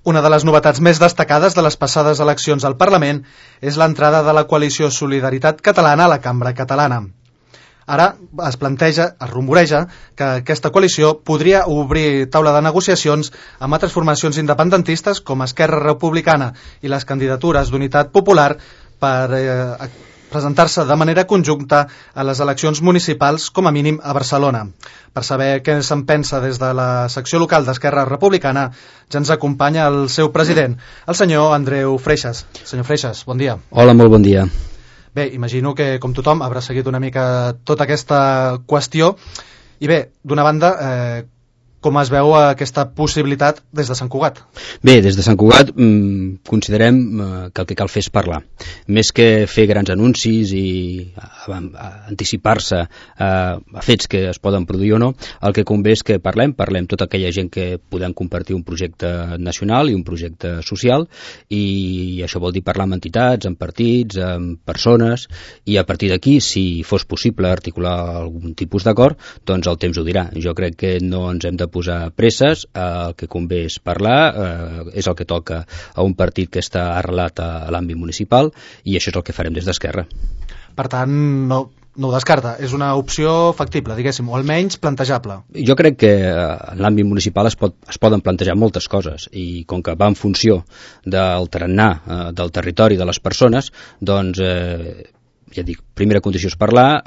Una de les novetats més destacades de les passades eleccions al Parlament és l'entrada de la coalició Solidaritat Catalana a la Cambra Catalana. Ara es rumoreja que aquesta coalició podria obrir taula de negociacions amb altres formacions independentistes com Esquerra Republicana i les candidatures d'Unitat Popular per presentar-se de manera conjunta a les eleccions municipals, com a mínim a Barcelona. Per saber què se'n pensa des de la secció local d'Esquerra Republicana, ja ens acompanya el seu president, el senyor Andreu Freixas. Senyor Freixas, bon dia. Hola, molt bon dia. Bé, imagino que, com tothom, haurà seguit una mica tota aquesta qüestió. I bé, d'una banda, com es veu aquesta possibilitat des de Sant Cugat? Bé, des de Sant Cugat considerem que el que cal fer és parlar. Més que fer grans anuncis i anticipar-se a fets que es poden produir o no, el que convé és que parlem tota aquella gent que podem compartir un projecte nacional i un projecte social, i això vol dir parlar amb entitats, amb partits, amb persones, i a partir d'aquí, si fos possible articular algun tipus d'acord, doncs el temps ho dirà. Jo crec que no ens hem de posar presses, el que convé és parlar, és el que toca a un partit que està arrelat a l'àmbit municipal, i això és el que farem des d'Esquerra. Per tant, no ho descarta, és una opció factible, diguéssim, o almenys plantejable. Jo crec que en l'àmbit municipal es poden plantejar moltes coses, i com que va en funció del tarannà del territori de les persones, doncs ja dic, primera condició és parlar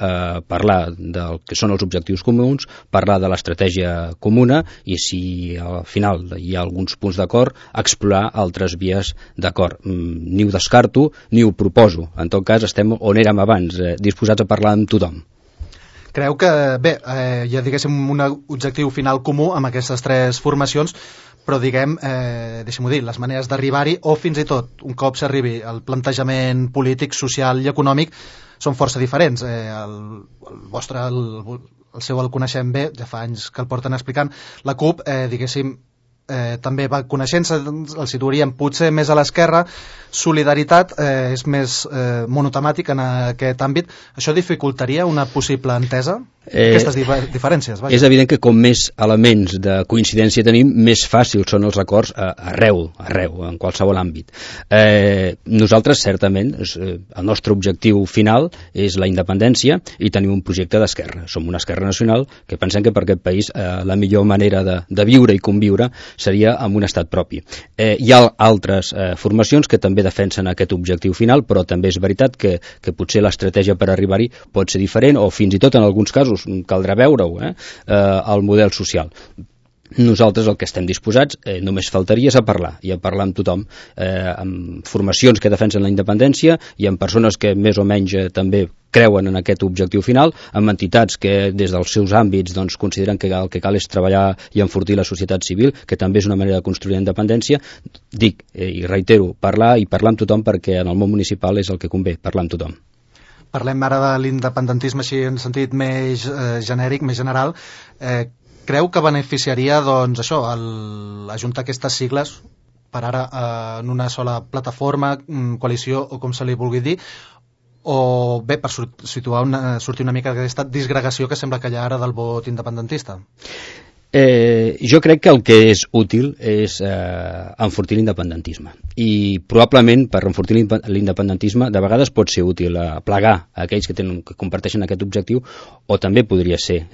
del que són els objectius comuns, parlar de l'estratègia comuna, i si al final hi ha alguns punts d'acord, explorar altres vies d'acord. Ni ho descarto ni ho proposo. En tot cas, estem on érem abans, disposats a parlar amb tothom. Creu que, bé, ja diguéssim un objectiu final comú amb aquestes tres formacions, però diguem, deixem-ho dir, les maneres d'arribar-hi, o fins i tot, un cop s'arribi al plantejament polític, social i econòmic, són força diferents. El seu el coneixem bé, ja fa anys que el porten explicant. La CUP, diguéssim, també va coneixent-se, el situaríem potser més a l'esquerra. Solidaritat és més monotemàtic en aquest àmbit. Això dificultaria una possible entesa? Aquestes diferències, vaja. És evident que com més elements de coincidència tenim, més fàcils són els acords arreu, en qualsevol àmbit. Nosaltres, certament, el nostre objectiu final és la independència, i tenim un projecte d'esquerra. Som una esquerra nacional que pensem que per aquest país la millor manera de viure i conviure seria amb un estat propi. Hi ha altres formacions que també defensen aquest objectiu final, però també és veritat que potser l'estratègia per arribar-hi pot ser diferent, o fins i tot en alguns casos caldrà veure-ho, el model social. Nosaltres el que estem disposats, només faltaria, és a parlar, i a parlar amb tothom, amb formacions que defensen la independència i amb persones que més o menys també creuen en aquest objectiu final, amb entitats que des dels seus àmbits doncs, consideren que el que cal és treballar i enfortir la societat civil, que també és una manera de construir la independència. Dic, i reitero, parlar amb tothom, perquè en el món municipal és el que convé, parlar amb tothom. Parlem ara de l'independentisme així en sentit més genèric, més general. Creu que beneficiaria, doncs, això, ajuntar aquestes sigles per ara en una sola plataforma, coalició o com se li vulgui dir, o bé, per sortir una mica d'aquesta disgregació que sembla que hi ha ara del vot independentista? Jo crec que el que és útil és enfortir l'independentisme, i probablement per enfortir l'independentisme de vegades pot ser útil plegar aquells que comparteixen aquest objectiu, o també podria ser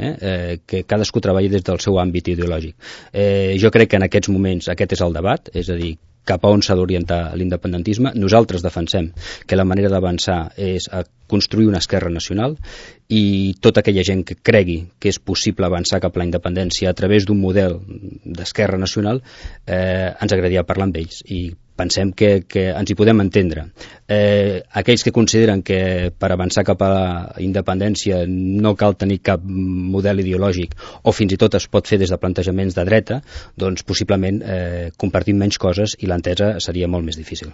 que cadascú treballi des del seu àmbit ideològic. Jo crec que en aquests moments aquest és el debat, és a dir, cap a on s'ha d'orientar l'independentisme. Nosaltres defensem que la manera d'avançar és a construir una esquerra nacional, i tota aquella gent que cregui que és possible avançar cap a la independència a través d'un model d'esquerra nacional, ens agradaria parlar amb ells, i pensem que ens hi podem entendre. Aquells que consideren que per avançar cap a la independència no cal tenir cap model ideològic, o fins i tot es pot fer des de plantejaments de dreta, doncs possiblement compartim menys coses i l'entesa seria molt més difícil.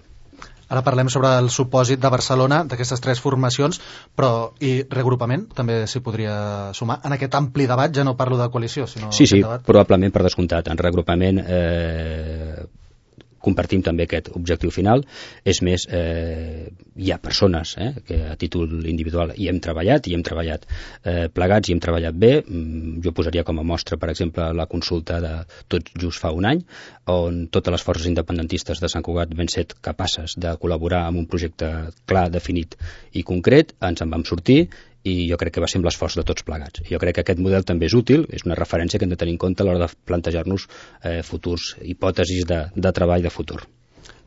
Ara parlem sobre el supòsit de Barcelona, d'aquestes tres formacions, però i regrupament també s'hi podria sumar en aquest ampli debat. Ja no parlo de coalició, sinó sí, probablement, per descomptat. En regrupament compartim també aquest objectiu final. És més, hi ha persones que a títol individual hi hem treballat plegats i hem treballat bé. Jo posaria com a mostra, per exemple, la consulta de tot just fa un any, on totes les forces independentistes de Sant Cugat van ser capaces de col·laborar amb un projecte clar, definit i concret. Ens en vam sortir i jo crec que va ser amb l'esforç de tots plegats. Jo crec que aquest model també és útil, és una referència que hem de tenir en compte a l'hora de plantejar-nos futurs hipòtesis de treball de futur.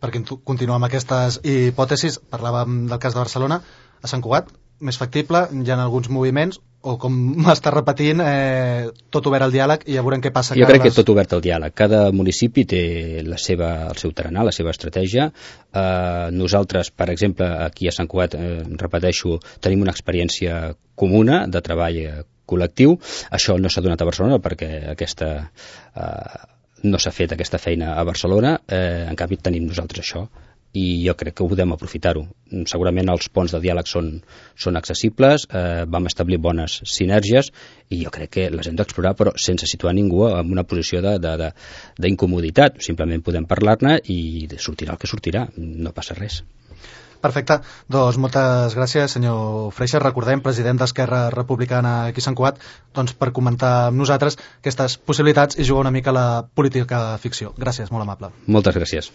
Per continuar amb aquestes hipòtesis, parlàvem del cas de Barcelona. A Sant Cugat, més factible, hi ha alguns moviments, o com m'està repetint, tot obert al diàleg, i ja veurem què passa. Jo crec que tot obert al diàleg. Cada municipi té el seu tarannà, la seva estratègia. Nosaltres, per exemple, aquí a Sant Cugat, repeteixo, tenim una experiència comuna de treball col·lectiu. Això no s'ha donat a Barcelona perquè no s'ha fet aquesta feina a Barcelona. En canvi, tenim nosaltres això. I jo crec que podem aprofitar-ho. Segurament els ponts de diàleg són accessibles, vam establir bones sinergies i jo crec que les hem d'explorar, però sense situar ningú en una posició d'incomoditat. Simplement podem parlar-ne i sortirà el que sortirà, no passa res. Perfecte, doncs moltes gràcies, senyor Freixa. Recordem, president d'Esquerra Republicana aquí a Sant Cugat, doncs per comentar amb nosaltres aquestes possibilitats i jugar una mica a la política ficció. Gràcies, molt amable. Moltes gràcies.